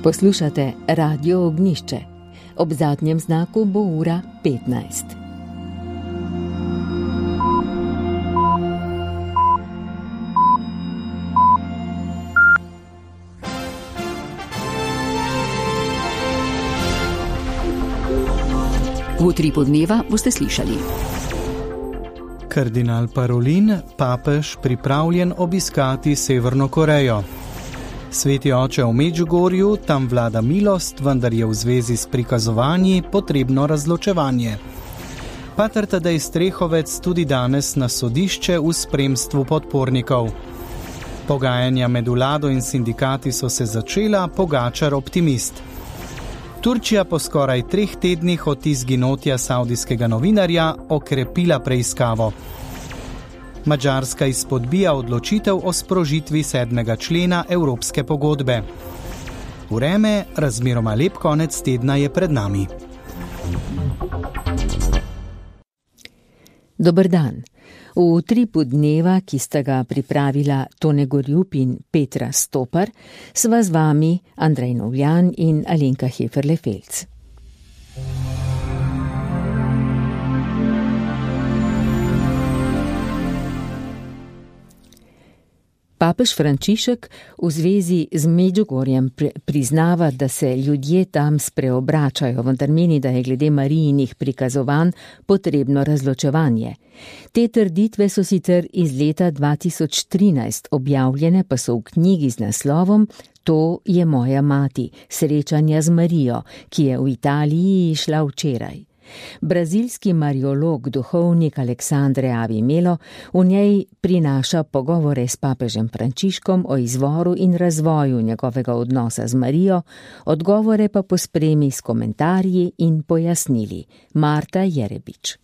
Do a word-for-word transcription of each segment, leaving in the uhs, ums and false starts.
Poslušate Radio Ognjišče. Ob zadnjem znaku bo ura petnajst. V utripu dneva boste slišali. Kardinal Parolin, papež pripravljen obiskati Severno Korejo. Sveti oče v Medžugorju, tam vlada milost, vendar je v zvezi s prikazovanji potrebno razločevanje. Pater Tadej Strehovec tudi danes na sodišče v spremstvu podpornikov. Pogajanja med vlado in sindikati so se začela, Pogačar optimist. Turčija po skoraj treh tednih od izginotja savdijskega novinarja okrepila preiskavo. Madžarska izpodbija odločitev o sprožitvi sedmega člena Evropske pogodbe. Vreme, razmeroma lep konec tedna je pred nami. Dober dan. V utripu dneva, ki sta ga pripravila Tone Gorjup in Petra Stopar, sva z vami Andrej Novljan in Alenka Heferle-Felc. Papež Frančišek v zvezi z Medžugorjem priznava, da se ljudje tam spreobračajo, vendar meni, da je glede Marijinih prikazovanj potrebno razločevanje. Te trditve so sicer iz leta dva tisoč trinajst, objavljene pa so v knjigi z naslovom To je moja mati, srečanja z Marijo, ki je v Italiji išla včeraj. Brazilski mariolog, duhovnik Aleksandre Avimelo v njej prinaša pogovore s papežem Frančiškom o izvoru in razvoju njegovega odnosa z Marijo, odgovore pa pospremi s komentarji in pojasnili. Marta Jerebič.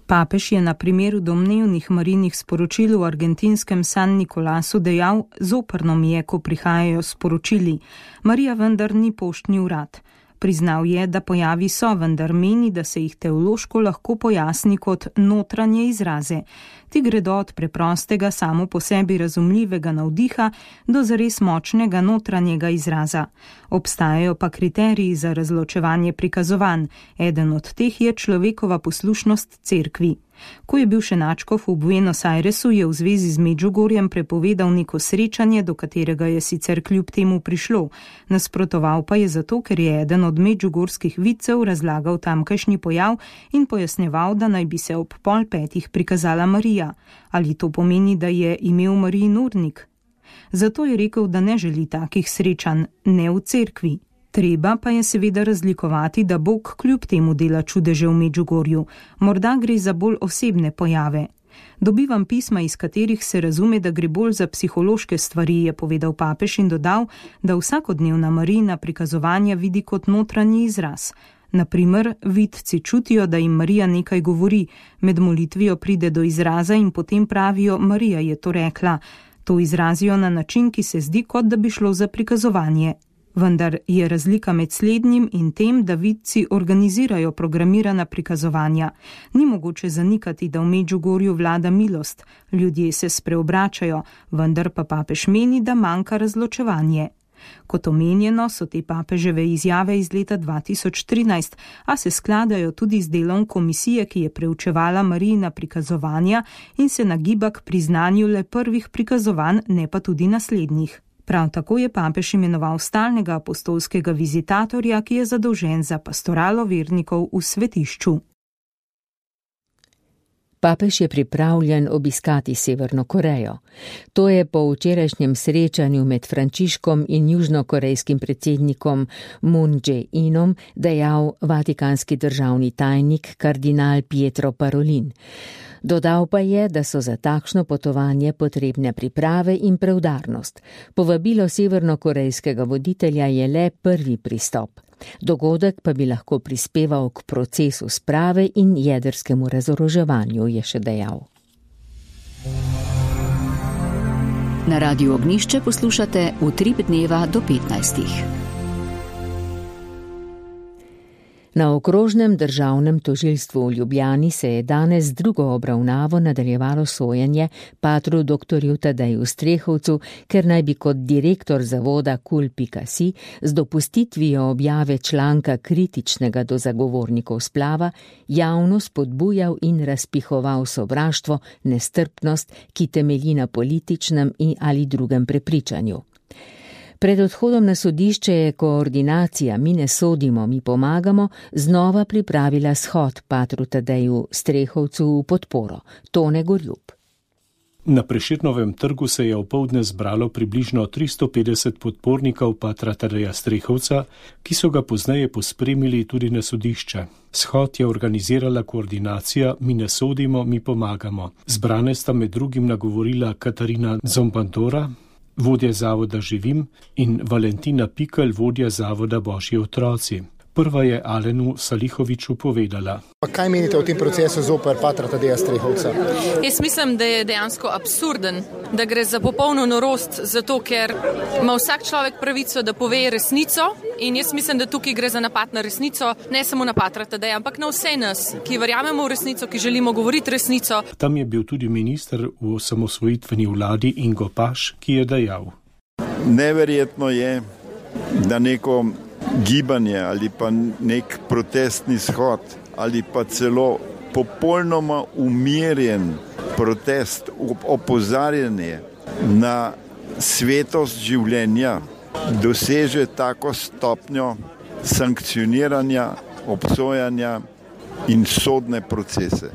Papež je na primeru domnevnih Marijinih sporočil v argentinskem San Nicolasu dejal: zoprno mi je, ko prihajajo sporočili. Marija vendar ni poštni urad. Priznal je, da pojavi so, vendar meni, da se jih teološko lahko pojasni kot notranje izraze. Ti gredo od preprostega, samo po sebi razumljivega navdiha do zares močnega notranjega izraza. Obstajajo pa kriteriji za razločevanje prikazovanj. Eden od teh je človekova poslušnost cerkvi. Ko je bil še nadškof v Buenos Airesu, je v zvezi z Medžugorjem prepovedal neko srečanje, do katerega je sicer kljub temu prišlo. Nasprotoval pa je zato, ker je eden od medžugorskih vidcev razlagal tamkajšnji pojav in pojasnjeval, da naj bi se ob pol petih prikazala Marija. Ali to pomeni, da je imel Marijin urnik? Zato je rekel, da ne želi takih srečanj, ne v cerkvi. Treba pa je seveda razlikovati, da Bog kljub temu dela čudeže v Medžugorju. Morda gre za bolj osebne pojave. Dobivam pisma, iz katerih se razume, da gre bolj za psihološke stvari, je povedal papež in dodal, da vsakodnevna Marijina prikazovanja vidi kot notranji izraz. Naprimer, vidci čutijo, da jim Marija nekaj govori, med molitvijo pride do izraza in potem pravijo: Marija je to rekla. To izrazijo na način, ki se zdi, kot da bi šlo za prikazovanje. Vendar je razlika med slednjim in tem, da vidci organizirajo programirana prikazovanja. Ni mogoče zanikati, da v Medžugorju vlada milost, ljudje se spreobračajo, vendar pa papež meni, da manjka razločevanje. Kot omenjeno, so te papeževe izjave iz leta dva tisoč trinajst, a se skladajo tudi z delom komisije, ki je preučevala Marijina prikazovanja in se nagiba k priznanju le prvih prikazovanj, ne pa tudi naslednjih. Prav tako je papež imenoval stalnega apostolskega vizitatorja, ki je zadolžen za pastoralo vernikov v svetišču. Papež je pripravljen obiskati Severno Korejo. To je po včerajšnjem srečanju med Frančiškom in južnokorejskim predsednikom Moon Jae-inom dejal vatikanski državni tajnik kardinal Pietro Parolin. Dodal pa je, da so za takšno potovanje potrebne priprave in preudarnost. Povabilo severnokorejskega voditelja je le prvi pristop. Dogodek pa bi lahko prispeval k procesu sprave in jedrskemu razoroževanju, je še dejal. Na Radiu Ognjišče poslušate Utrip dneva do petnajstih. Na okrožnem državnem tožilstvu v Ljubljani se je danes z drugo obravnavo nadaljevalo sojenje patru doktorju Tadeju Strehovcu, ker naj bi kot direktor zavoda kul pika si z dopustitvijo objave članka kritičnega do zagovornikov splava javno spodbujal in razpihoval sovraštvo, nestrpnost, ki temelji na političnem in ali drugem prepričanju. Pred odhodom na sodišče je koordinacija Mi ne sodimo, mi pomagamo znova pripravila shod patru Tadeju Strehovcu v podporo. Tone Gorjub. Na Prešernovem trgu se je opoldne zbralo približno tristo petdeset podpornikov patra Tadeja Strehovca, ki so ga pozneje pospremili tudi na sodišče. Shod je organizirala koordinacija Mi ne sodimo, mi pomagamo. Zbrane sta med drugim nagovorila Katarina Zombandora, vodja zavoda Živim, in Valentina Pikl, vodja zavoda Božji otroci. Prva je Alenu Salihoviču povedala. Kaj menite o tem procesu zoper patra Tadeja Strehovca? Jaz mislim, da je dejansko absurden, da gre za popolno norost, zato ker ima vsak človek pravico, da pove resnico, in jaz mislim, da tukaj gre za napad na resnico, ne samo na patra Tadeja, ampak na vse nas, ki verjamemo v resnico, ki želimo govoriti resnico. Tam je bil tudi minister v osamosvojitveni vladi Ingo Paš, ki je dejal. Neverjetno je, da neko gibanje ali pa nek protestni shod ali pa celo popolnoma umirjen protest, opozarjanje na svetost življenja doseže tako stopnjo sankcioniranja, obsojanja in sodne procese.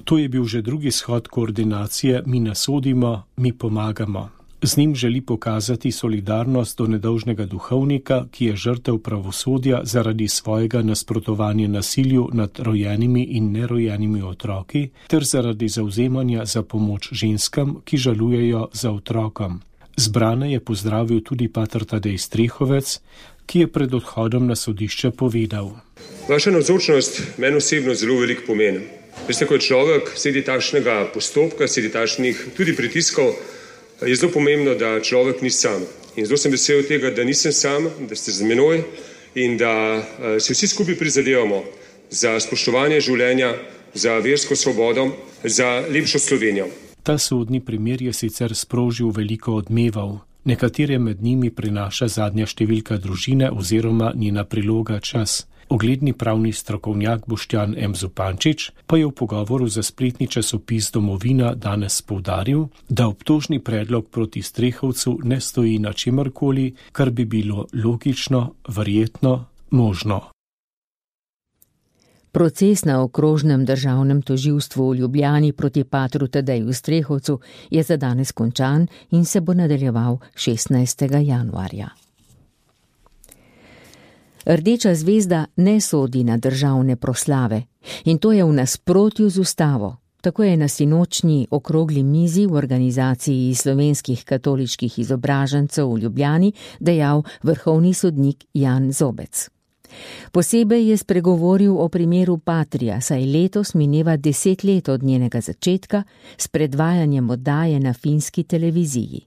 To je bil že drugi shod koordinacije Mi ne sodimo, mi pomagamo. Z njim želi pokazati solidarnost do nedolžnega duhovnika, ki je žrtev pravosodja zaradi svojega nasprotovanja nasilju nad rojenimi in nerojenimi otroki, ter zaradi zavzemanja za pomoč ženskam, ki žalujejo za otrokom. Zbrane je pozdravil tudi pater Tadej Strehovec, ki je pred odhodom na sodišče povedal. Vaša navzočnost meni osebno zelo veliko pomeni. Veste, ko je človek sredi takšnega postopka, sredi takšnih tudi pritiskov, je zelo pomembno, da človek ni sam. In zelo sem vesel tega, da nisem sam, da ste z menoj in da se vsi skupaj prizadevamo za spoštovanje življenja, za versko svobodo, za lepšo Slovenijo. Ta sodni primer je sicer sprožil veliko odmevov. Nekatere med njimi prinaša zadnja številka družine oziroma njena priloga Čas. Ogledni pravni strokovnjak Boštjan M. Zupančič pa je v pogovoru za spletni časopis Domovina danes poudaril, da obtožni predlog proti Strehovcu ne stoji na čemarkoli, kar bi bilo logično, verjetno, možno. Proces na okrožnem državnem tožilstvu v Ljubljani proti patru Tadeju Strehovcu je za danes končan in se bo nadaljeval šestnajstega januarja. Rdeča zvezda ne sodi na državne proslave in to je v nasprotju z ustavo. Tako je na sinočnji okrogli mizi v organizaciji slovenskih katoliških izobražencev v Ljubljani dejal vrhovni sodnik Jan Zobec. Posebej je spregovoril o primeru Patria, saj letos mineva deset let od njenega začetka s predvajanjem oddaje na finski televiziji.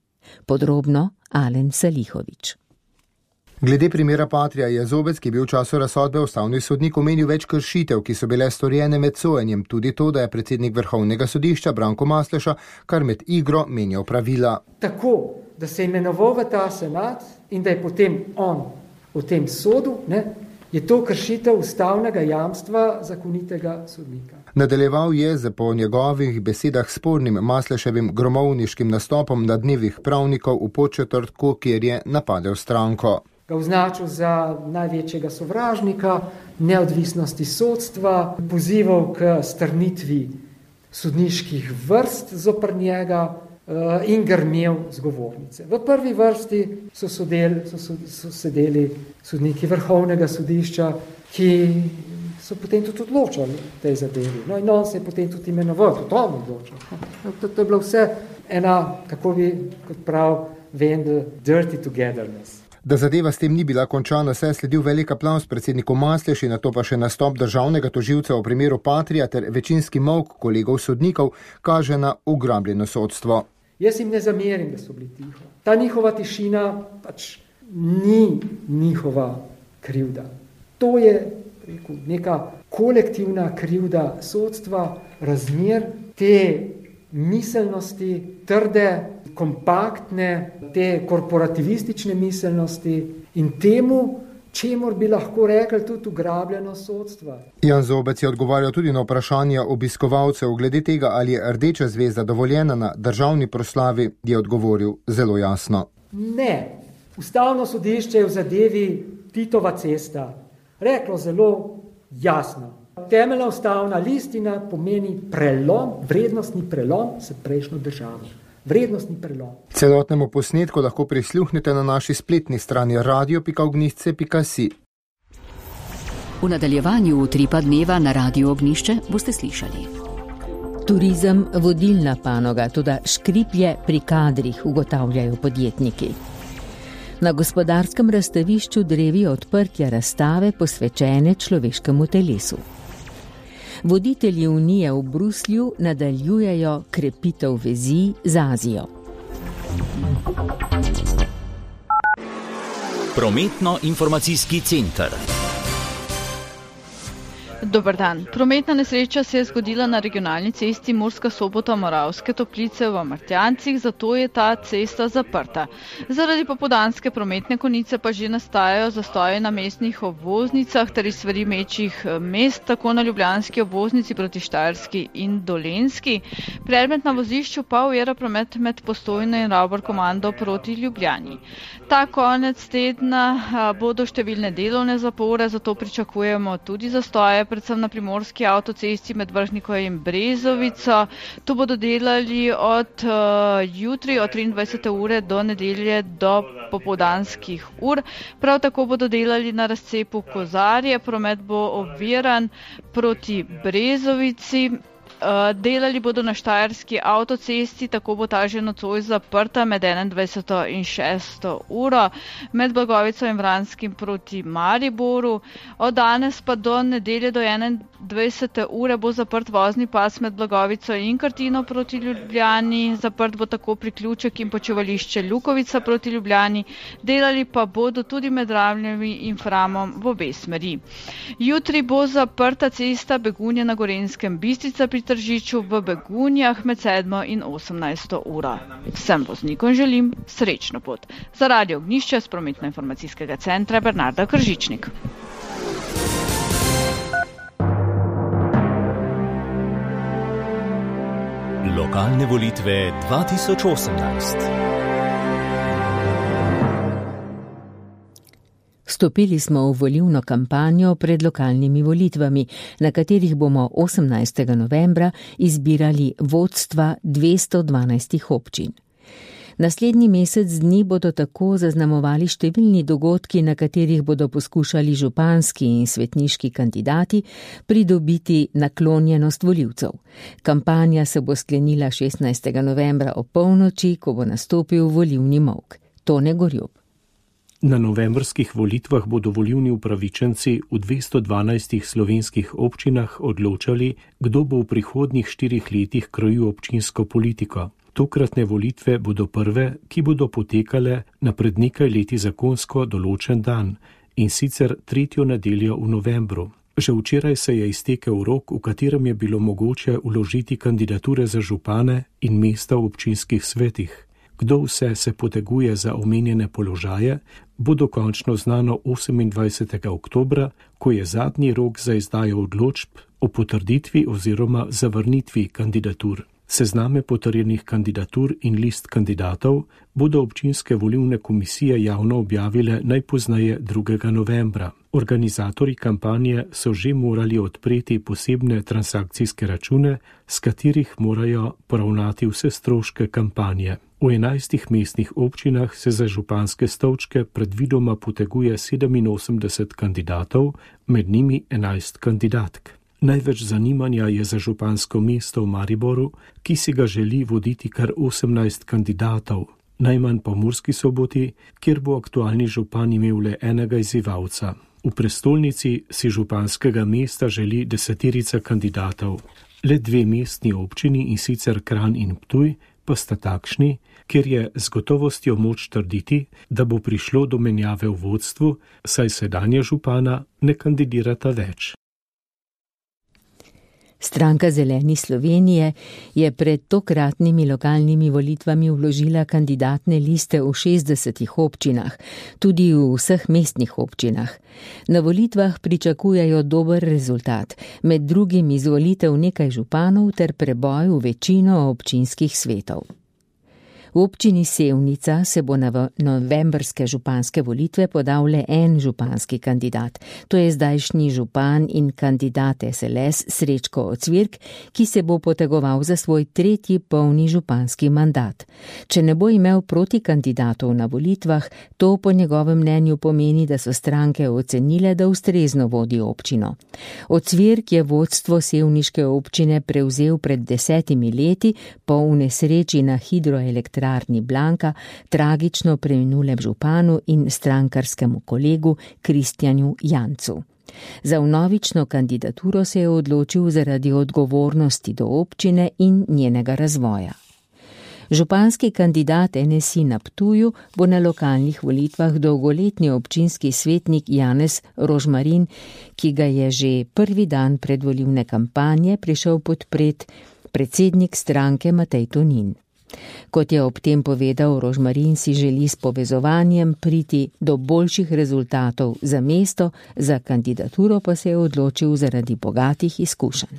Podrobno Alen Salihovič. Glede primera Patria je Zobec, ki je bil v času razsodbe ustavni sodnik, omenil več kršitev, ki so bile storjene med sojenjem, tudi to, da je predsednik Vrhovnega sodišča Branko Masleša kar med igro menjal pravila. Tako, da se je imenoval v ta senat in da je potem on v tem sodu, ne, je to kršitev ustavnega jamstva zakonitega sodnika. Nadaljeval je z po njegovih besedah spornim Masleševim gromovniškim nastopom na dnevih pravnikov v Podčetrtku, kjer je napadel stranko. Ga označil za največjega sovražnika, neodvisnosti sodstva, pozival k strnitvi sodniških vrst zoper njega in grmel z govornice. V prvi vrsti so, sodel, so, so sedeli sodniki Vrhovnega sodišča, ki so potem tudi odločali tej zadevi. No in on se je potem tudi imenoval, tudi on odločal. To, to je bilo vse ena, kako bi, kot prav, Vendel, dirty togetherness. Da zadeva s tem ni bila končana, se je sledil velik aplauz predsedniku Masleši, nato pa še nastop državnega tožilca v primeru Patria ter večinski molk kolegov sodnikov kaže na ugrabljeno sodstvo. Jaz jim ne zamerim, da so bili tiho. Ta njihova tišina pač ni njihova krivda. To je rekel, neka kolektivna krivda sodstva, razmer, te miselnosti, trde, kompaktne, te korporativistične miselnosti in temu, čemur bi lahko rekli tudi ugrabljeno sodstva. Jan Zobec je odgovarjal tudi na vprašanje obiskovalcev glede tega, ali je rdeča zvezda dovoljena na državni proslavi, je odgovoril zelo jasno. Ne. Ustavno sodišče je v zadevi Titova cesta reklo zelo jasno. Temeljna ustavna listina pomeni prelom, vrednostni prelom s prejšnjo državo. Vrednostni prelom. Celotnemu posnetku lahko prisluhnete na naši spletni strani radio pika ognjišče pika si. V nadaljevanju utripa dneva na Radio Ognjišče boste slišali. Turizem vodilna panoga, toda škriplje pri kadrih, ugotavljajo podjetniki. Na gospodarskem razstavišču drevi odprtja razstave posvečene človeškemu telesu. Voditelji Unije v Bruslju nadaljujejo krepitev vezi z Azijo. Prometno-informacijski center. Dober dan. Prometna nesreča se je zgodila na regionalni cesti Murska Sobota-Moravske Toplice v Martjancih, zato je ta cesta zaprta. Zaradi popoldanske prometne konice pa že nastajajo zastoji na mestnih obvoznicah ter iz smeri večjih mest, tako na ljubljanski obvoznici proti Štajerski in Dolenjski. Predmet na vozišču pa ovira promet med Postojno in Ravbor komando proti Ljubljani. Ta konec tedna bodo številne delovne zapore, zato pričakujemo tudi zastoje, predvsem na primorski avtocesti med Vrhniko in Brezovico. To bodo delali od uh, jutri, od triindvajsete ure do nedelje do popoldanskih ur. Prav tako bodo delali na razcepu Kozarje, promet bo oviran proti Brezovici. Delali bodo na Štajerski avtocesti, tako bo ta že nocoj zaprta med enaindvajseto in šesto uro, med Blagovico in Vranskim proti Mariboru. Od danes pa do nedelje do enaindvajsete ure bo zaprt vozni pas med Blagovico in Krtino proti Ljubljani, zaprt bo tako priključek in počivališče Lukovica proti Ljubljani, delali pa bodo tudi med Ravnjami in Framom v obe smeri. Jutri bo zaprta cesta Begunje na Gorenjskem Bistrica pri Tržiču v Begunjah med sedmo in osemnajsto uro. Vsem voznikom želim srečno pot. Za Radio Ognjišče z prometno-informacijskega centra Bernarda Kržičnik. Lokalne volitve dva tisoč osemnajst. Stopili smo v volilno kampanjo pred lokalnimi volitvami, na katerih bomo osemnajstega novembra izbirali vodstva dvesto dvanajstih občin. Naslednji mesec dni bodo tako zaznamovali številni dogodki, na katerih bodo poskušali županski in svetniški kandidati pridobiti naklonjenost volivcev. Kampanja se bo sklenila šestnajstega novembra ob polnoči, ko bo nastopil volilni molk. Tone Gorjup. Na novembrskih volitvah bodo volilni upravičenci v dvesto dvanajstih slovenskih občinah odločali, kdo bo v prihodnjih štirih letih krojil občinsko politiko. Tokratne volitve bodo prve, ki bodo potekale na pred nekaj leti zakonsko določen dan, in sicer tretjo nedeljo v novembru. Že včeraj se je iztekel rok, v katerem je bilo mogoče vložiti kandidature za župane in mesta v občinskih svetih. Kdo vse se poteguje za omenjene položaje, bo dokončno znano osemindvajsetega oktobra, ko je zadnji rok za izdajo odločb o potrditvi oziroma zavrnitvi kandidatur. Sezname potrjenih kandidatur in list kandidatov bodo občinske volilne komisije javno objavile najpozneje drugega novembra. Organizatorji kampanje so že morali odpreti posebne transakcijske račune, s katerih morajo poravnati vse stroške kampanje. V enajstih mestnih občinah se za županske stolčke predvidoma poteguje sedeminosemdeset kandidatov, med njimi enajst kandidatk. Največ zanimanja je za župansko mesto v Mariboru, ki si ga želi voditi kar osemnajst kandidatov, najmanj pa v Murski Soboti, kjer bo aktualni župan imel le enega izzivalca. V prestolnici si županskega mesta želi deseterica kandidatov. Le dve mestni občini, in sicer Kranj in Ptuj, pa sta takšni, kjer je z gotovostjo moč trditi, da bo prišlo do menjave v vodstvu, saj sedanja župana ne kandidirata več. Stranka Zeleni Slovenije je pred tokratnimi lokalnimi volitvami vložila kandidatne liste v šestdesetih občinah, tudi v vseh mestnih občinah. Na volitvah pričakujejo dober rezultat, med drugim izvolitev nekaj županov ter preboj v večino občinskih svetov. V občini Sevnica se bo na novembrske županske volitve podal le en županski kandidat. To je zdajšnji župan in kandidat es el es Srečko Ocvirk, ki se bo potegoval za svoj tretji polni županski mandat. Če ne bo imel proti kandidatov na volitvah, to po njegovem mnenju pomeni, da so stranke ocenile, da ustrezno vodi občino. Ocvirk je vodstvo sevniške občine prevzel pred desetimi leti po nesreči na hidroelektrarni Blanka, tragično preminulem županu in strankarskemu kolegu Kristjanu Jancu. Za vnovično kandidaturo se je odločil zaradi odgovornosti do občine in njenega razvoja. Županski kandidat en es i na Ptuju bo na lokalnih volitvah dolgoletni občinski svetnik Janez Rožmarin, ki ga je že prvi dan predvolilne kampanje prišel podpret predsednik stranke Matej Tonin. Kot je ob tem povedal, Rožmarin si želi s povezovanjem priti do boljših rezultatov za mesto, za kandidaturo pa se je odločil zaradi bogatih izkušenj.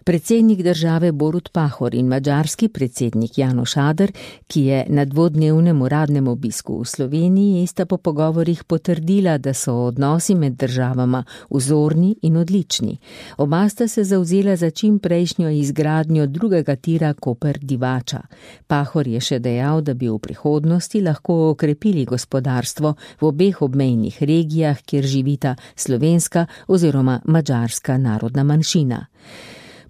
Predsednik države Borut Pahor in madžarski predsednik János Áder, ki je na dvodnevnem uradnem obisku v Sloveniji, sta po pogovorih potrdila, da so odnosi med državama vzorni in odlični. Oba sta se zavzela za čim prejšnjo izgradnjo drugega tira Koper-Divača. Pahor je še dejal, da bi v prihodnosti lahko okrepili gospodarstvo v obeh obmejnih regijah, kjer živita slovenska oziroma madžarska narodna manjšina.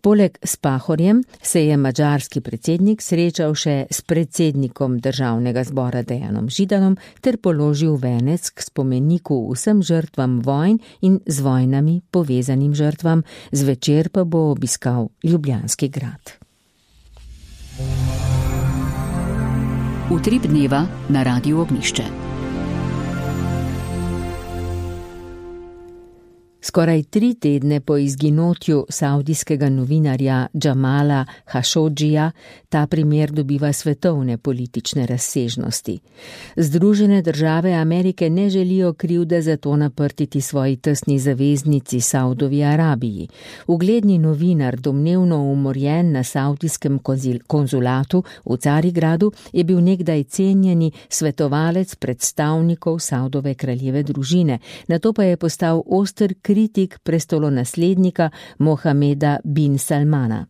Poleg s Pahorjem se je madžarski predsednik srečal še s predsednikom državnega zbora Dejanom Židanom ter položil venec k spomeniku vsem žrtvam vojn in z vojnami povezanim žrtvam, zvečer pa bo obiskal Ljubljanski grad. Utrip dneva na Radiu Ognjišče. Skoraj tri tedne po izginotju saudijskega novinarja Jamala Khashogija ta primer dobiva svetovne politične razsežnosti. Združene države Amerike ne želijo krivde za to naprtiti svoji tesni zaveznici Saudovi Arabiji. Ugledni novinar, domnevno umorjen na saudijskem konzulatu v Carigradu, je bil nekdaj cenjeni svetovalec predstavnikov Saudove kraljeve družine, nato pa je postal oster kritik prestolonaslednika Mohameda bin Salmana.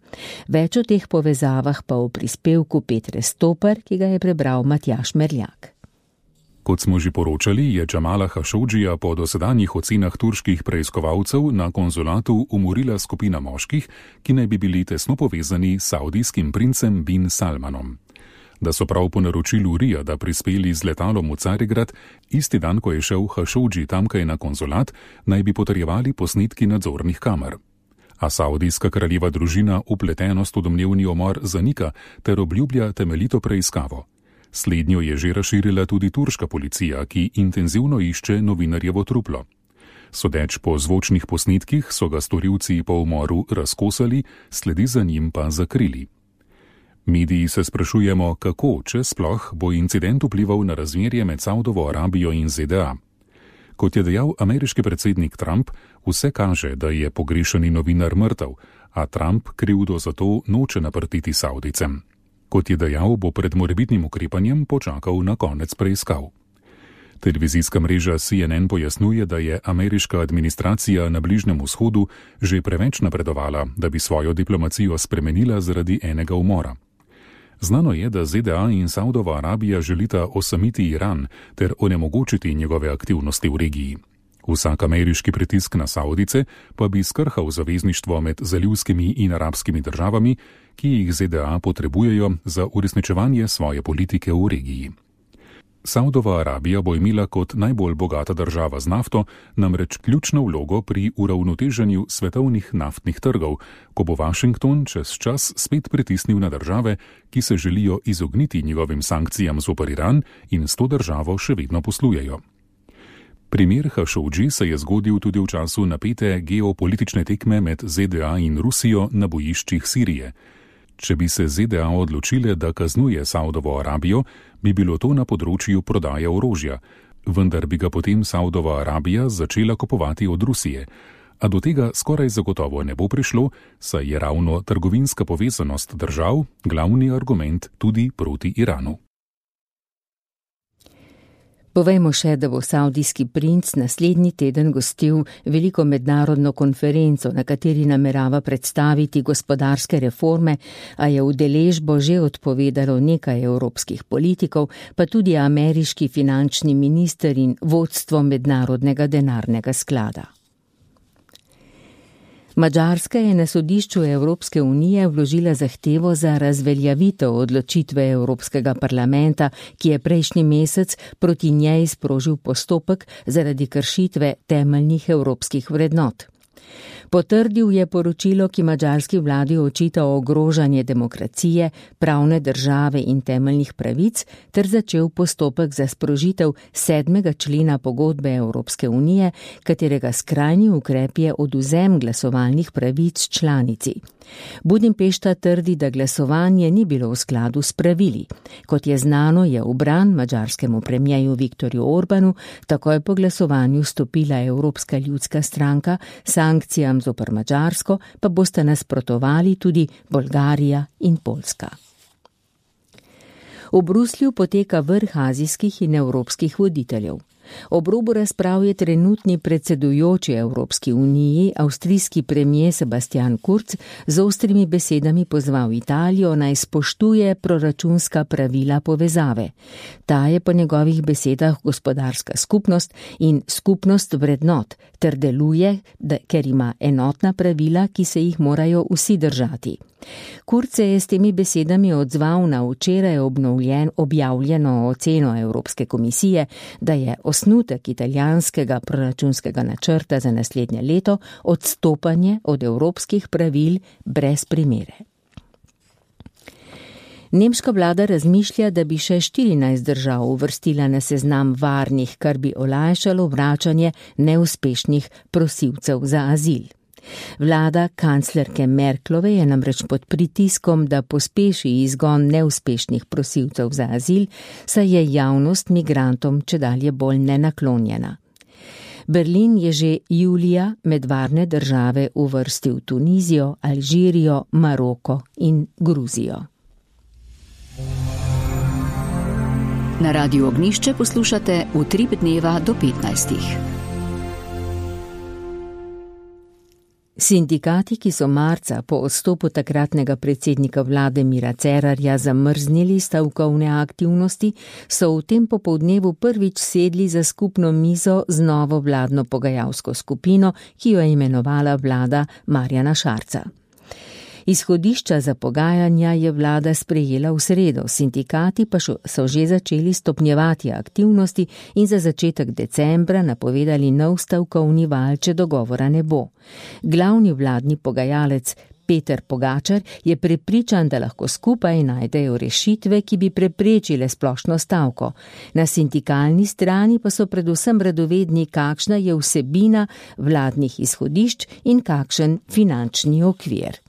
Več o teh povezavah pa v prispevku Petre Stoper, ki ga je prebral Matjaž Merljak. Kot smo že poročali, je Jamala Khashogija po dosedanjih ocenah turških preiskovalcev na konzulatu umorila skupina moških, ki naj bi bili tesno povezani s saudijskim princem bin Salmanom. Da so prav po naročilu Rijada prispeli z letalom v Carigrad, isti dan, ko je šel Khashoggi tamkaj na konzulat, naj bi potrjevali posnetki nadzornih kamer. A saudijska kraljeva družina upletenost v domnevni umor zanika ter obljublja temeljito preiskavo. Slednjo je že razširila tudi turška policija, ki intenzivno išče novinarjevo truplo. Sodeč po zvočnih posnetkih so ga storilci po umoru razkosali, sledi za njim pa zakrili. Mediji se sprašujemo, kako, če sploh, bo incident vplival na razmerje med Saudovo Arabijo in Z D A. Kot je dejal ameriški predsednik Trump, vse kaže, da je pogrešani novinar mrtev, a Trump krivdo za to noče naprtiti Saudicem. Kot je dejal, bo pred morebitnim ukrepanjem počakal na konec preiskav. Televizijska mreža C N N pojasnjuje, da je ameriška administracija na Bližnjem vzhodu že preveč napredovala, da bi svojo diplomacijo spremenila zaradi enega umora. Znano je, da Z D A in Saudova Arabija želita osamiti Iran ter onemogočiti njegove aktivnosti v regiji. Vsak ameriški pritisk na Saudice pa bi skrhal zavezništvo med zalivskimi in arabskimi državami, ki jih Z D A potrebujejo za uresničevanje svoje politike v regiji. Saudova Arabija bo imela kot najbolj bogata država z nafto namreč ključno vlogo pri uravnoteženju svetovnih naftnih trgov, ko bo Washington čez čas spet pritisnil na države, ki se želijo izogniti njegovim sankcijam zoper Iran in s to državo še vedno poslujejo. Primer Hašodži se je zgodil tudi v času napete geopolitične tekme med Z D A in Rusijo na bojiščih Sirije. Če bi se Z D A odločile, da kaznuje Saudovo Arabijo, bi bilo to na področju prodaje orožja, vendar bi ga potem Saudova Arabija začela kupovati od Rusije. A do tega skoraj zagotovo ne bo prišlo, saj je ravno trgovinska povezanost držav glavni argument tudi proti Iranu. Povejmo še, da bo saudijski princ naslednji teden gostil veliko mednarodno konferenco, na kateri namerava predstaviti gospodarske reforme, a je udeležbo že odpovedalo nekaj evropskih politikov, pa tudi ameriški finančni minister in vodstvo Mednarodnega denarnega sklada. Madžarska je na sodišču Evropske unije vložila zahtevo za razveljavitev odločitve Evropskega parlamenta, ki je prejšnji mesec proti njej sprožil postopek zaradi kršitve temeljnih evropskih vrednot. Potrdil je poročilo, ki madžarski vladi očita ogrožanje demokracije, pravne države in temeljnih pravic, ter začel postopek za sprožitev sedmega člena pogodbe Evropske unije, katerega skrajni ukrep je odvzem glasovalnih pravic članici. Budimpešta trdi, da glasovanje ni bilo v skladu s pravili. Kot je znano, je v bran madžarskemu premijeju Viktorju Orbanu takoj po glasovanju stopila Evropska ljudska stranka, sankcijam zoper Madžarsko pa bosta nasprotovali tudi Bolgarija in Poljska. V Bruslju poteka vrh azijskih in evropskih voditeljev. Ob robu razprav je trenutni predsedujoči Evropski uniji, avstrijski premier Sebastian Kurz, z ostrimi besedami pozval Italijo naj spoštuje proračunska pravila povezave. Ta je po njegovih besedah gospodarska skupnost in skupnost vrednot, ter deluje, da, ker ima enotna pravila, ki se jih morajo vsi držati. Kurz se je s temi besedami odzval na včeraj obnovljen, objavljeno oceno Evropske komisije, da je osnutek italijanskega proračunskega načrta za naslednje leto odstopanje od evropskih pravil brez primere. Nemška vlada razmišlja, da bi še štirinajst držav uvrstila na seznam varnih, kar bi olajšalo vračanje neuspešnih prosilcev za azil. Vlada kanclerke Merklove je namreč pod pritiskom, da pospeši izgon neuspešnih prosilcev za azil, saj je javnost migrantom čedalje bolj nenaklonjena. Berlin je že julija med varne države uvrstil Tunizijo, Alžirijo, Maroko in Gruzijo. Na Radiu Ognjišče poslušate Utrip dneva do petnajstih. Sindikati, ki so marca po odstopu takratnega predsednika vlade Mira Cerarja zamrznili stavkovne aktivnosti, so v tem popoldnevu prvič sedli za skupno mizo z novo vladno pogajalsko skupino, ki jo je imenovala vlada Marjana Šarca. Izhodišča za pogajanja je vlada sprejela v sredo, sindikati pa so že začeli stopnjevati aktivnosti in za začetek decembra napovedali nov stavkovni val, če dogovora ne bo. Glavni vladni pogajalec Peter Pogačar je prepričan, da lahko skupaj najdejo rešitve, ki bi preprečile splošno stavko. Na sindikalni strani pa so predvsem radovedni, kakšna je vsebina vladnih izhodišč in kakšen finančni okvir.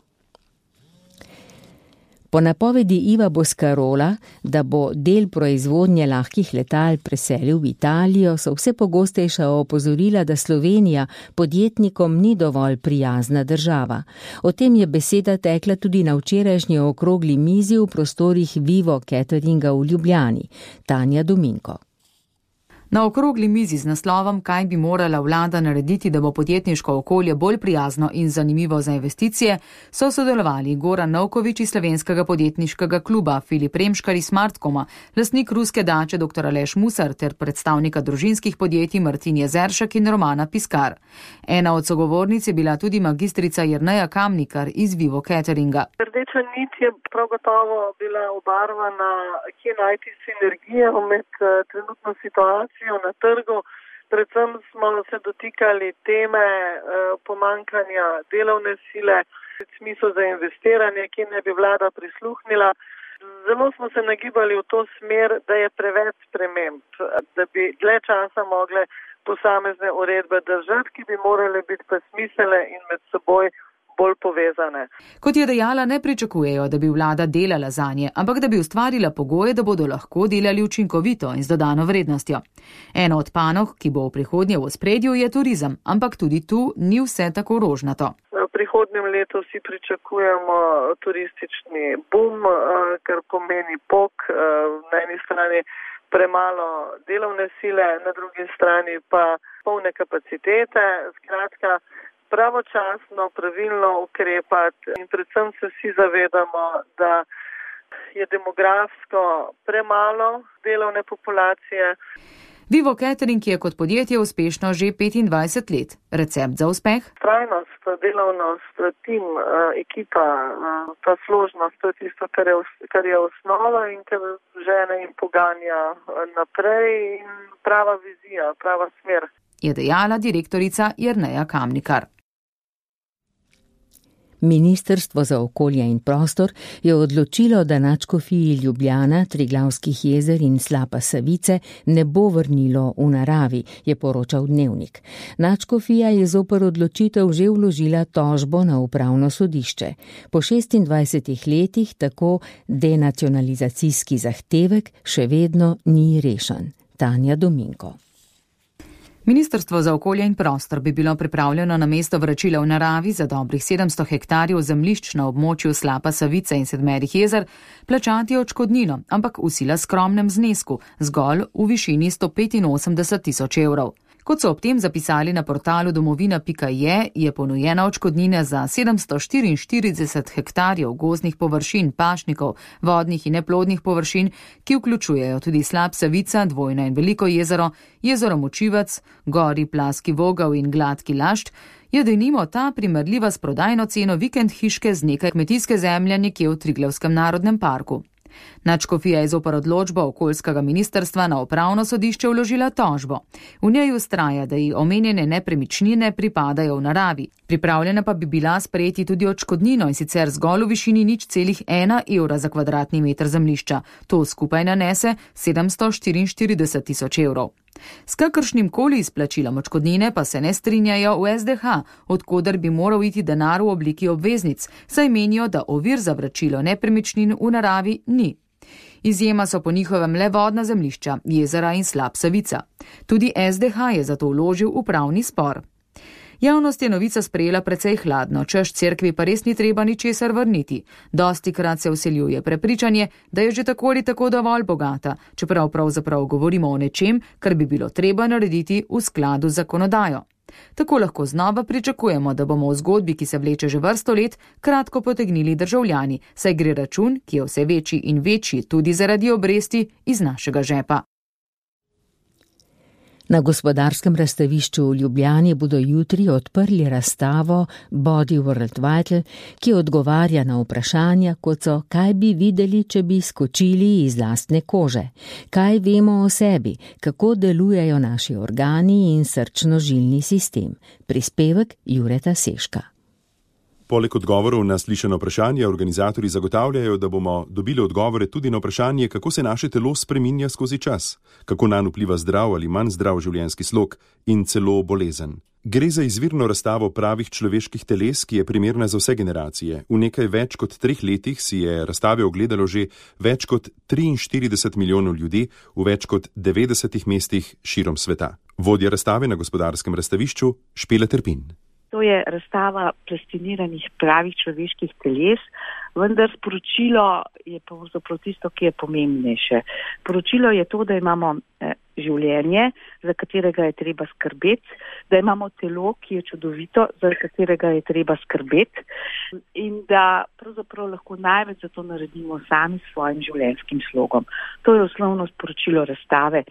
Po napovedi Iva Boscarola, da bo del proizvodnje lahkih letal preselil v Italijo, so vse pogostejša opozorila, da Slovenija podjetnikom ni dovolj prijazna država. O tem je beseda tekla tudi na včerajšnji okrogli mizi v prostorih Vivo Cateringa v Ljubljani. Tanja Dominko. Na okrogli mizi z naslovom Kaj bi morala vlada narediti, da bo podjetniško okolje bolj prijazno in zanimivo za investicije, so sodelovali Goran Novković iz Slovenskega podjetniškega kluba, Filip Remškar iz Smartkoma, lastnik ruske dače dr. Aleš Musar ter predstavnika družinskih podjetij Martin Jezeršek in Romana Piskar. Ena od sogovornic je bila tudi magistrica Jerneja Kamnikar iz Vivo Cateringa. Rdeča nit je prav gotovo bila obarvana, kje najti sinergijo med trenutno situacijo na trgu. Predvsem smo se dotikali teme pomankanja delovne sile, v smislu za investiranje, ki ne bi vlada prisluhnila. Zelo smo se nagibali v to smer, da je preveč sprememb, da bi dlje časa mogle posamezne uredbe držati, ki bi morale biti pa smiselne in med seboj bolj povezane. Kot je dejala, ne pričakujejo, da bi vlada delala zanje, ampak da bi ustvarila pogoje, da bodo lahko delali učinkovito in z dodano vrednostjo. Eno od panog, ki bo v prihodnje v ospredju, je turizem, ampak tudi tu ni vse tako rožnato. V prihodnjem letu vsi pričakujemo turistični boom, kar pomeni pok, na eni strani premalo delovne sile, na drugi strani pa polne kapacitete, skratka, pravočasno, pravilno ukrepati in predvsem se vsi zavedamo, da je demografsko premalo delovne populacije. Vivo Catering je kot podjetje uspešno že petindvajset let. Recept za uspeh? Trajnost, delovnost, tim, ekipa, ta složnost, to je tisto, kar je, kar je osnova in kar žene in poganja naprej in prava vizija, prava smer. Je dejala direktorica Jerneja Kamnikar. Ministrstvo za okolje in prostor je odločilo, da nadškofiji Ljubljana, Triglavskih jezer in Slapa Savice ne bo vrnilo v naravi, je poročal Dnevnik. Nadškofija je zoper odločitev že vložila tožbo na upravno sodišče. Po šestindvajsetih letih tako denacionalizacijski zahtevek še vedno ni rešen. Tanja Dominko. Ministrstvo za okolje in prostor bi bilo pripravljeno na mesto vračila v naravi za dobrih sedemsto hektarjev zemljišč na območju Slapa Savice in Sedmerih jezer plačati odškodnino, ampak v sila skromnem znesku, zgolj v višini sto petinosemdeset tisoč evrov. Kot so ob tem zapisali na portalu domovina pika je, je ponujena odškodnina za sedemsto štiriinštirideset hektarjev gozdnih površin, pašnikov, vodnih in neplodnih površin, ki vključujejo tudi Slap Savica, Dvojno in Veliko jezero, jezero Močivec, Gori, Plaski, Vogel in Gladki Lašt, je denimo ta primerljiva s prodajno ceno vikend hiške z nekaj kmetijske zemlje nekje v Triglavskem narodnem parku. Nadškofija je zoper odločbo okoljskega ministrstva na upravno sodišče vložila tožbo. V njej vztraja, da ji omenjene nepremičnine pripadajo v naravi. Pripravljena pa bi bila sprejeti tudi odškodnino in sicer zgolj v višini nič celih ena evra za kvadratni meter zemljišča. To skupaj nanese sedemsto štiriinštirideset tisoč evrov. S kakršnim koli izplačilom odškodnine pa se ne strinjajo v es de ha, odkoder bi moral iti denar v obliki obveznic, saj menijo, da ovir za vračilo nepremičnin v naravi ni. Izjema so po njihovem le vodna zemljišča, jezera in Slap Savica. Tudi es de ha je zato vložil upravni spor. Javnost je novica sprejela precej hladno, češ cerkvi pa res ni treba ničesar vrniti. Dostikrat se vseljuje prepričanje, da je že tako ali tako dovolj bogata, čeprav pravzaprav govorimo o nečem, kar bi bilo treba narediti v skladu z zakonodajo. Tako lahko znova pričakujemo, da bomo v zgodbi, ki se vleče že vrsto let, kratko potegnili državljani, saj gre račun, ki je vse večji in večji tudi zaradi obresti, iz našega žepa. Na gospodarskem razstavišču v Ljubljani bodo jutri odprli razstavo Body World Vital, ki odgovarja na vprašanja, kot so, kaj bi videli, če bi skočili iz lastne kože, kaj vemo o sebi, kako delujejo naši organi in srčno-žilni sistem. Prispevek Jureta Seška. Poleg odgovorov na slišano vprašanje, organizatorji zagotavljajo, da bomo dobili odgovore tudi na vprašanje, kako se naše telo spreminja skozi čas, kako nanj vpliva zdrav ali manj zdrav življenjski slog in celo bolezen. Gre za izvirno razstavo pravih človeških teles, ki je primerna za vse generacije. V nekaj več kot treh letih si je razstave ogledalo že več kot triinštirideset milijonov ljudi v več kot devetdesetih mestih širom sveta. Vodja razstave na gospodarskem razstavišču Špela Trpin. To je razstava plastiniranih pravih človeških teles, vendar sporočilo je pravzaprav tisto, ki je pomembnejše. Sporočilo je to, da imamo življenje, za katerega je treba skrbeti, da imamo telo, ki je čudovito, za katerega je treba skrbeti in da pravzaprav lahko največ za to naredimo sami s svojim življenjskim slogom. To je osnovno sporočilo razstave.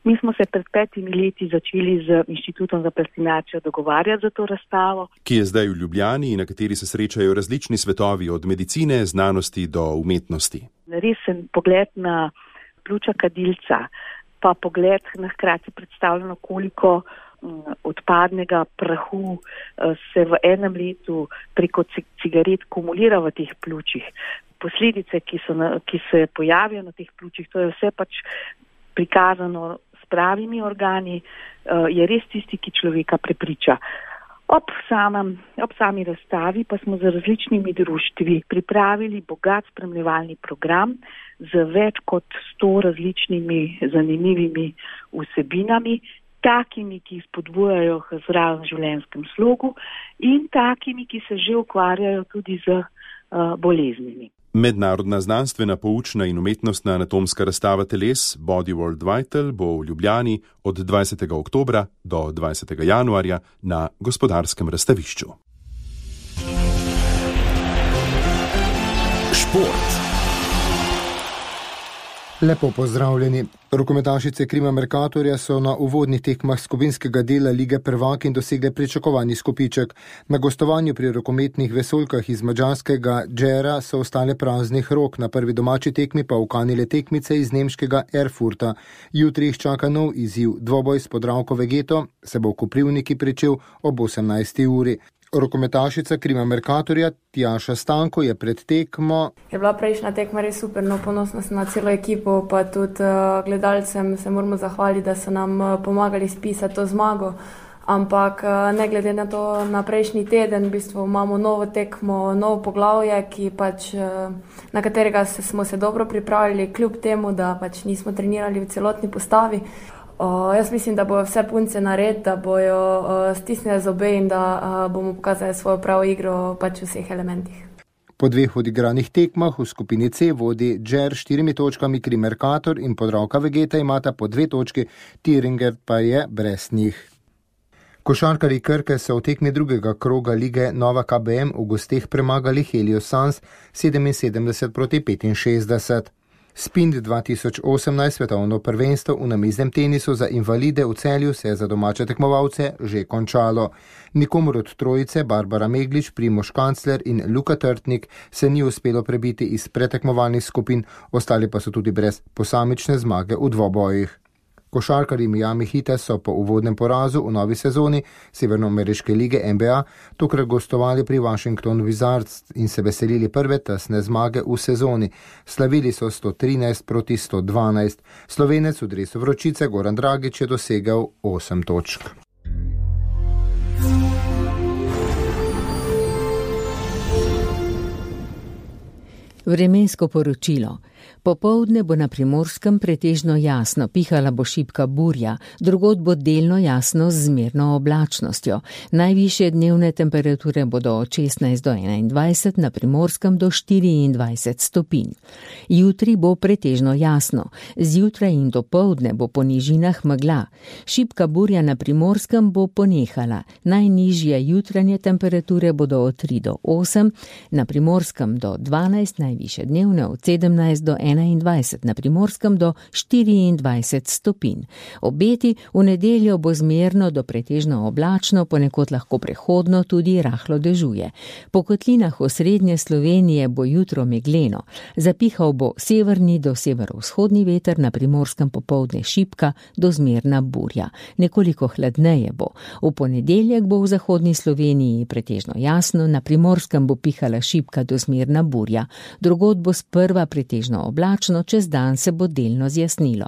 Mi smo se pred petimi leti začeli z Inštitutom za plastinacijo dogovarjati za to razstavo, ki je zdaj v Ljubljani in na kateri se srečajo različni svetovi od medicine, znanosti do umetnosti. Resen pogled na pljuča kadilca, pa pogled na hkrati predstavljeno, koliko odpadnega prahu se v enem letu preko cigaret kumulira v teh pljučih. Posledice, ki, so na, ki se pojavijo na teh pljučih, to je vse pač prikazano s pravimi organi, je res tisti, ki človeka prepriča. Ob, samem, ob sami razstavi pa smo z različnimi društvi pripravili bogat spremljevalni program z več kot sto različnimi zanimivimi vsebinami, takimi, ki spodbujajo k zdravem življenjskem slogu in takimi, ki se že ukvarjajo tudi z uh, boleznimi. Mednarodna znanstvena, poučna in umetnostna anatomska razstava teles Body World Vital bo v Ljubljani od dvajsetega oktobra do dvajsetega januarja na Gospodarskem razstavišču. Šport. Lepo pozdravljeni. Rokometašice Krima Mercatorja so na uvodnih tekmah skupinskega dela Lige prvakinj dosegle pričakovani skupiček. Na gostovanju pri rokometnih vesoljkah iz madžarskega Džera so ostale praznih rok, na prvi domači tekmi pa ukanile tekmice iz nemškega Erfurta. Jutri jih čaka nov izziv. Dvoboj s Podravko Vegeto se bo v Koprivniki pričel ob osemnajsti uri. Rokometašica Krima Mercatorja Tjaša Stanko je pred tekmo. Je bila prejšnja tekma res super, no ponosna sem na celo ekipo, pa tudi uh, gledalcem se moramo zahvaliti, da so nam uh, pomagali spisati to zmago. Ampak uh, ne glede na to, na prejšnji teden v bistvu imamo novo tekmo, novo poglavje, ki pač, uh, na katerega se, smo se dobro pripravili, kljub temu, da pač nismo trenirali v celotni postavi. Uh, jaz mislim, da bojo vse punce nared, da bojo uh, stisnili zobe in da uh, bomo pokazali svojo pravo igro pač v vseh elementih. Po dveh odigranih tekmah v skupini C vodi Džer štirimi točkami, Krim Mercator in Podravka Vegeta imata po dve točki, Thüringen pa je brez njih. Košarkarji Krke so v tekmi drugega kroga lige Nova K B M v gosteh premagali Helios Suns sedeminsedemdeset proti petinšestdeset. Spind dva tisoč osemnajst svetovno prvenstvo v namiznem tenisu za invalide v Celju se je za domače tekmovalce že končalo. Nikomur od trojice, Barbara Meglič, Primož Kancler in Luka Trtnik, se ni uspelo prebiti iz pretekmovalnih skupin, ostali pa so tudi brez posamične zmage v dvobojih. Košarkarji Miami Heata so po uvodnem porazu v novi sezoni Severnoameriške lige N B A tokrat gostovali pri Washington Wizards in se veselili prve tesne zmage v sezoni. Slavili so sto trinajst proti sto dvanajst. Slovenec v dresu vročice Goran Dragič je dosegel osem točk. Vremensko poročilo. Popoldne bo na Primorskem pretežno jasno, pihala bo šibka burja, drugod bo delno jasno z zmerno oblačnostjo. Najvišje dnevne temperature bodo od šestnajst do enaindvajset, na Primorskem do štiriindvajset stopinj. Jutri bo pretežno jasno, zjutraj in dopoldne bo po nižinah megla. Šibka burja na Primorskem bo ponehala, najnižje jutranje temperature bodo od tri do osem, na Primorskem do dvanajst, najvišje dnevne od sedemnajst do enaindvajset, na Primorskem do štiriindvajset stopinj. Obeti v nedeljo bo zmerno do pretežno oblačno, ponekod lahko prehodno tudi rahlo dežuje. Po kotlinah osrednje Slovenije bo jutro megleno. Zapihal bo severni do severovzhodni veter, na Primorskem popoldne šibka do zmerna burja. Nekoliko hladneje bo. V ponedeljek bo v zahodni Sloveniji pretežno jasno, na Primorskem bo pihala šibka do zmerna burja. Drugod bo sprva pretežno oblačno, čez dan se bo delno zjasnilo.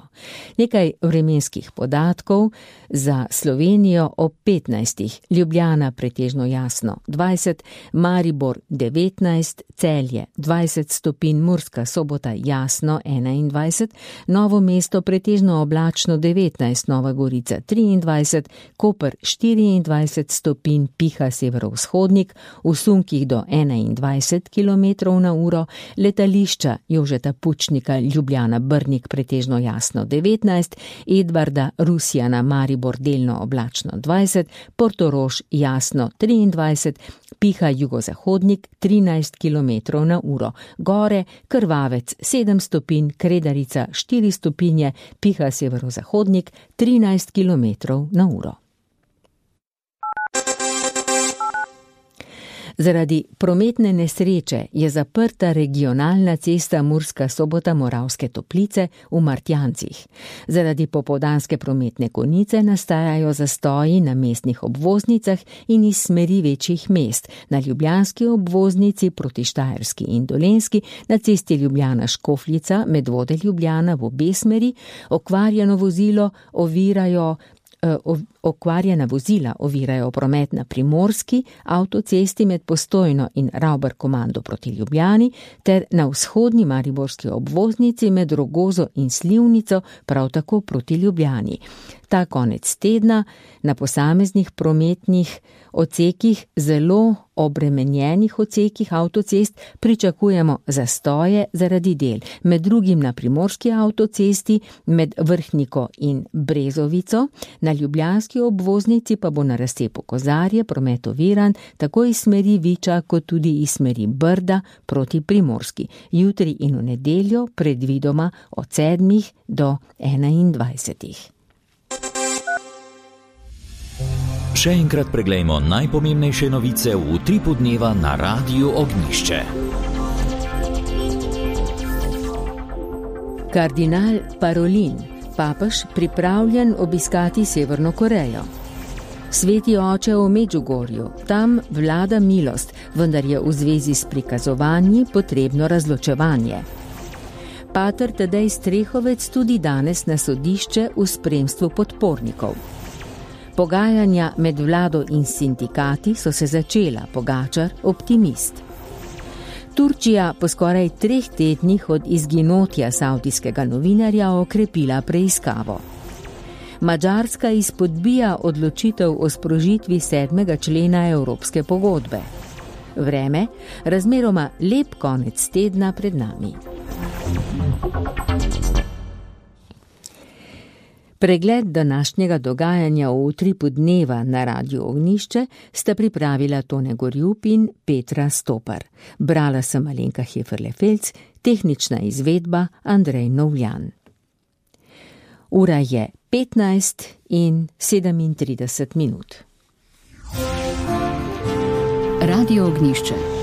Nekaj vremenskih podatkov za Slovenijo ob petnajstih. Ljubljana pretežno jasno dvajset, Maribor devetnajst, Celje dvajset stopinj, Murska Sobota jasno enaindvajset, Novo mesto pretežno oblačno devetnajst, Nova Gorica triindvajset, Koper štiriindvajset stopinj, piha severovzhodnik, v sunkih do enaindvajset kilometrov na uro, letališča Jožeta Pučnika Ljubljana Brnik pretežno jasno devetnajst, Edvarda Rusjana Maribor delno oblačno dvajset, Portorož jasno triindvajset, piha jugozahodnik trinajst kilometrov na uro, gore Krvavec sedem stopinj, Kredarica štiri stopinje, piha severozahodnik trinajst kilometrov na uro. Zaradi prometne nesreče je zaprta regionalna cesta Murska Sobota-Moravske Toplice v Martjancih. Zaradi popoldanske prometne konice nastajajo zastoji na mestnih obvoznicah in iz smeri večjih mest, na ljubljanski obvoznici proti Štajerski in Dolenjski, na cesti Ljubljana-Škofljica, Medvode Ljubljana v obe smeri, okvarjeno vozilo ovirajo Okvarjena vozila ovirajo promet na Primorski avtocesti med Postojno in Ravbar komando proti Ljubljani ter na vzhodni mariborski obvoznici med Rogozo in Slivnico prav tako proti Ljubljani. Ta konec tedna na posameznih prometnih odsekih, zelo obremenjenih odsekih avtocest, pričakujemo zastoje zaradi del, med drugim na Primorski avtocesti med Vrhniko in Brezovico, na ljubljanski obvoznici pa bo na razcepu Kozarje promet oviran tako iz smeri Viča kot tudi iz smeri Brda proti Primorski. Jutri in v nedeljo predvidoma od sedmih do enaindvajsetih. Še enkrat preglejmo najpomembnejše novice v utripu dneva na Radiu Ognjišče. Kardinal Parolin, papež pripravljen obiskati Severno Korejo. Sveti oče v Medžugorju, tam vlada milost, vendar je v zvezi s prikazovanji potrebno razločevanje. Pater Tadej Strehovec tudi danes na sodišče v spremstvu podpornikov. Pogajanja med vlado in sindikati so se začela, Pogačar optimist. Turčija po skoraj treh tednih od izginotja savdijskega novinarja okrepila preiskavo. Madžarska izpodbija odločitev o sprožitvi sedmega člena Evropske pogodbe. Vreme, razmeroma lep konec tedna pred nami. Pregled današnjega dogajanja v utripu dneva na Radiu Ognjišče sta pripravila Tone Gorjup in Petra Stopar. Brala sem Alenka Heferle-Felc, tehnična izvedba Andrej Novljan. Ura je petnajst in sedemintrideset minut. Radio Ognjišče.